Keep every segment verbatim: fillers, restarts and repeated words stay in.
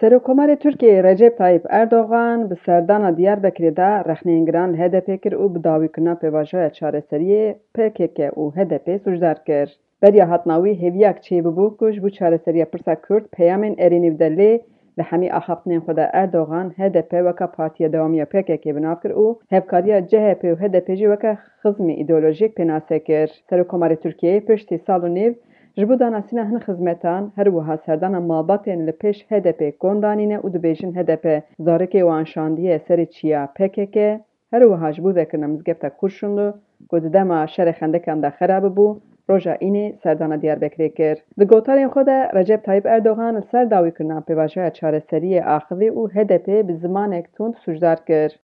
Serokkomarê Tirkiyeyê Recep Tayyip Erdogan bi serdana Diyarbekirê de rexneyên giran li H D P kir û bi dawîkirina pêvajoya çareseriyê P K K û H D P sûcdar kir. Beriya hatina wî hêviyak çêbibû ku ji bo çareseriya pirsa Kurd peyamên erênî bide, lê li hemî axaftinên xwe de Erdogan H D P weka partiya dewamiya P K K bi nav kir û hevkariya C H P û H D P jî weke xizmê îdeolojîk pênase kir. Serokkomarê Tirkiyeyê piştî sal û nîv ji bo danasîna hin xizmetan, her wiha serdana malbatên li pêş H D P kon danîne û dibêjin H D P zarokê wan şandiye serê çiya P K K, her wiha ji bo vekirina mizgefta Kurşunlu ku di dema şerê xendekan de xera bibû, roja Înê serdana Diyarbekirê kir. Di gotarên xwe de Recep Tayyip Erdogan li ser dawîkirina pêvajoya çareseriyê axivî û H D P bi zimanek tund sûcdar kir.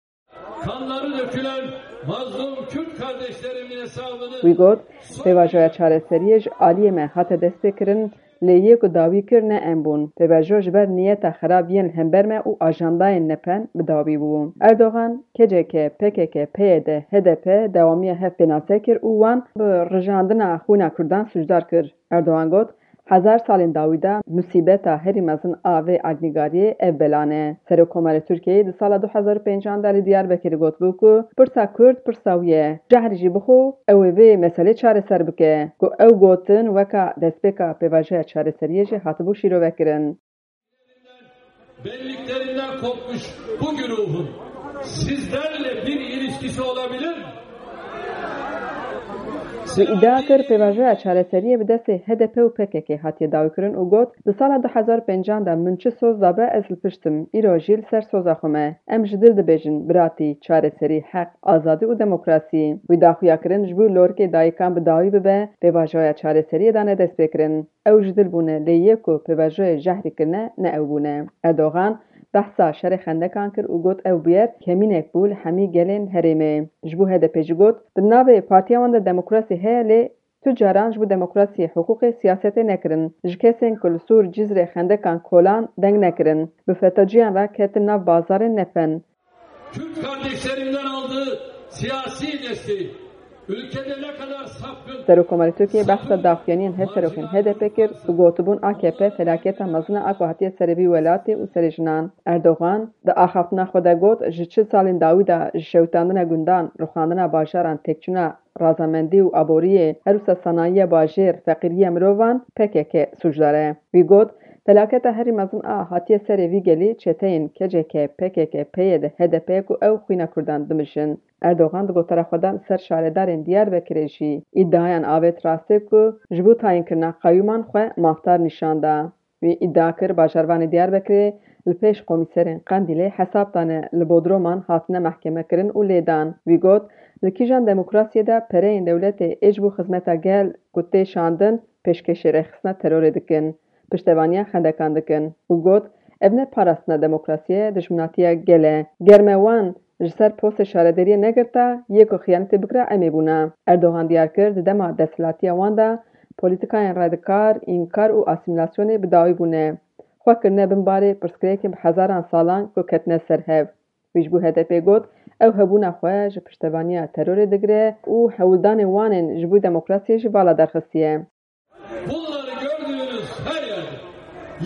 Kanları dökülen mazlum Kürt kardeşlerimin hesabını Wî got, pêvajoya çareseriyê ji aliyê me hate destpêkirin, lê yê ku dawî kir ne em bûn. Pêvajo ji ber niyeta xerab yên hember me û ajandayên nepen bi dawî bû. Erdogan, K C K, P K K, P Y D, H D P dewamiya hev pênase kir û wan bi rijandina xwîna Kurdan sûcdar kir. Erdogan got, Hezar salên dawî de musîbeta herî mezin a vê erdnîgariyê ev belan e. Serokkomarê Tirkiyeyê di sala du hezar û pêncan de li Diyarbekirê gotibû ku pirsa Kurd pirsa wî ye. Cehrî jî bixwe ew ê vê meselê çareser bike. Ku ew gotin weka destpêka pêvajoya çareseriyê jî hatibû şîrovekirin. Belliklerinden kopmuş bu güruhun sizlerle bir ilişkisi olabilir mi? Wî îdia kir, pêvajoya çareseriyê bi destê H D P û P K K hatiye dawîkirin û got, di sala du hezar û pêncan de min çi soz dabe, ez li pişt im. Îro jî li ser soza xwe me. Em ji dil dibêjin, biratî, çareserî, heq, azadî û demokrasî. Wî daxuya kirin ji bo lorikê dayikan bi dawî bibe, pêvajoya çareseriyê dane destpêkirin. Ew ji dil bûne, lê yê ku pêvajoyê jehrî kirine, ne ew bûne. Erdogan behsa şerê xendekan kir û got, ew bûyer kemînek bû li hemî gelên herêmê. Ji bo H D P jî got, di navê partiya wan de demokrasî heye, lê tu caran ji bo demokrasiyê, hiqûqê, siyasetê nekirin. Ji kesên ku li Sûr, Cizrê xendekan kolan deng nekirin. Bi FETÖ'ciyan re ketin nav bazarên nepen. Kürt kardeşlerimden aldığı siyasi desteği ülkede ne kadar sapkın, Serokkomarê Tirkiyê behsa daxuyaniyên hevserokên H D P kir û gotibûn, A K P felaketa mezin e a ku hatiye serê vî welatê û serê jinan. Erdogan di axaftina xwe de got, ji çil salên dawî de ji şewitandina gundan, rûxandina bajaran, têkçûna razamendî û aboriyê, her wisa sanayiya bajêr, feqîriya mirovan P K K sûcdar e. Wî got, felaketa herî mezin a hatiye serê vî gelî çeteyên K C K, P K K, P Y D, H D P ku ew xwîna Kurdan dimijin. Erdogan di gotara xwe de li ser şaredarên Diyarbekirê jî îdiayan avêt rastê ku ji bo tayînkirina qeyûman xwe mafdar nîşan da. Wî îdia kir, bajarvanê Diyarbekirê li pêş komîserên Qendîlê hesab dane, li Bodroman hatine mehkemekirin û lêdan. Wî got, li kîjan demokrasiyê de pereyên dewletê ê ji bo xizmeta gel ku tê şandin, pêşkêşî rêxistina terorê dikin, piştevaniya xendekan dikin û got, ev ne parastina demokrasiyê, dijminatiya gel e. Ger me wan ji ser postê şaredariyê negirta, yê ku xiyanetê bikira em ê bûna. Erdogan diyar kir, di dema desthilatiya wan de polîtikayên radikal, înkar û asîmîlasyonê bi dawî bûne. Xwe kirine bin barê pirsgirêkên bi hezaran salan ku ketine ser hev. Wî ji bo H D P got, ew hebûna xwe ji piştevaniya terorê digire û hewldanên wan ên ji bo demokrasiyê jî vala derxistiye. Bunları gördüğünüz her yerde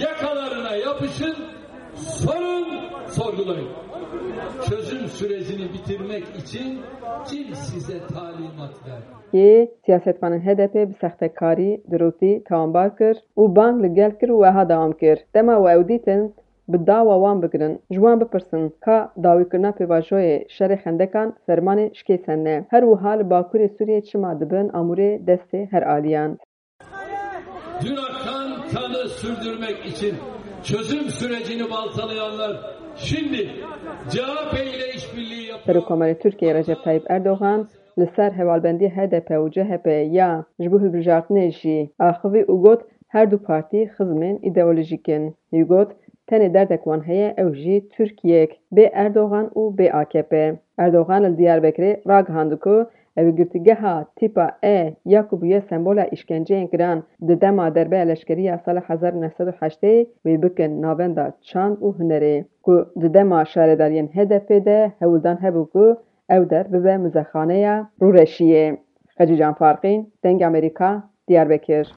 yakalarına yapışın, sorun, sorgulayın. Çözüm sürecini bitirmek için kim size talimat verdi? Yê siyasetvanên H D P bi sextekarî, dirûtî tawanbar kir û bang li gel kir û wiha dewam kir, dema we ew dîtin, bi dawa wan bigirin, ji wan bipirsin, ka dawîkirina pêvajoyê şerê xendekan fermanê şikêsen ne. Her wiha li Bakurê Sûriyê çima dibin amûrê destê her aliyan? Dün akan kanı sürdürmek için çözüm sürecini baltalayanlar şimdi C H P ile işbirliği yapıyor. Serokkomarê Tirkiyeyê Recep Tayyip Erdogan li ser hevalbendiyê H D P û C H P ya ji bo hilbijartinê jî axivî û got, her du partî xizmên îdeolojîk in. Wî got, tenê derdek wan heye, ew jî Tirkiyeyek bê Erdogan û bê A K P. Erdogan li Diyarbekirê ragihand ku ew ê girtîgeha tîpa E ya ku bûye sembola îşkenceyên giran di dema derbeya leşkerî ya sala hezar û neh sed û heştê wê bikin navenda çand û hunerê, ku di dema şaredariyên H D P de hewldan hebû ku ew der bibe muzexaneya rûreşiyê. Xecîcan Farqîn, Dengê Amerîka, Diyarbekir.